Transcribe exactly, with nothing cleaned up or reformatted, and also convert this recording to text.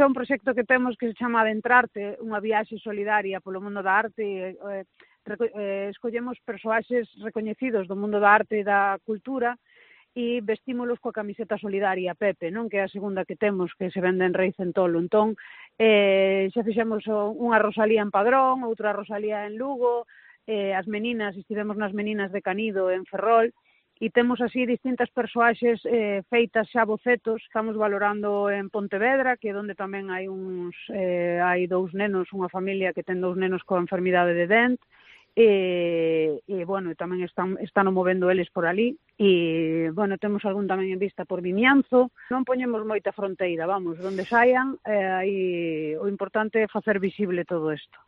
É un proxecto que temos que se chama Adentrarte, unha viaxe solidaria polo mundo da arte. Eh, eh, escollemos persoaxes recoñecidos do mundo da arte e da cultura e vestímolos coa camiseta solidaria Pepe, non? Que é a segunda que temos, que se vende en Rei Centolo. Entón, eh, xa fixemos unha Rosalía en Padrón, outra Rosalía en Lugo, eh, as meninas, estivemos nas meninas de Canido en Ferrol, e temos así distintas persoaxes eh, feitas xa bocetos. Estamos valorando en Pontevedra, que é onde tamén hai uns eh, hai dous nenos, unha familia que ten dous nenos coa enfermidade de Dent, e, e bueno, tamén están, están movendo eles por ali, e bueno, temos algún tamén en vista por Vimianzo. Non poñemos moita fronteira, vamos, onde saian, eh, aí o importante é facer visible todo isto.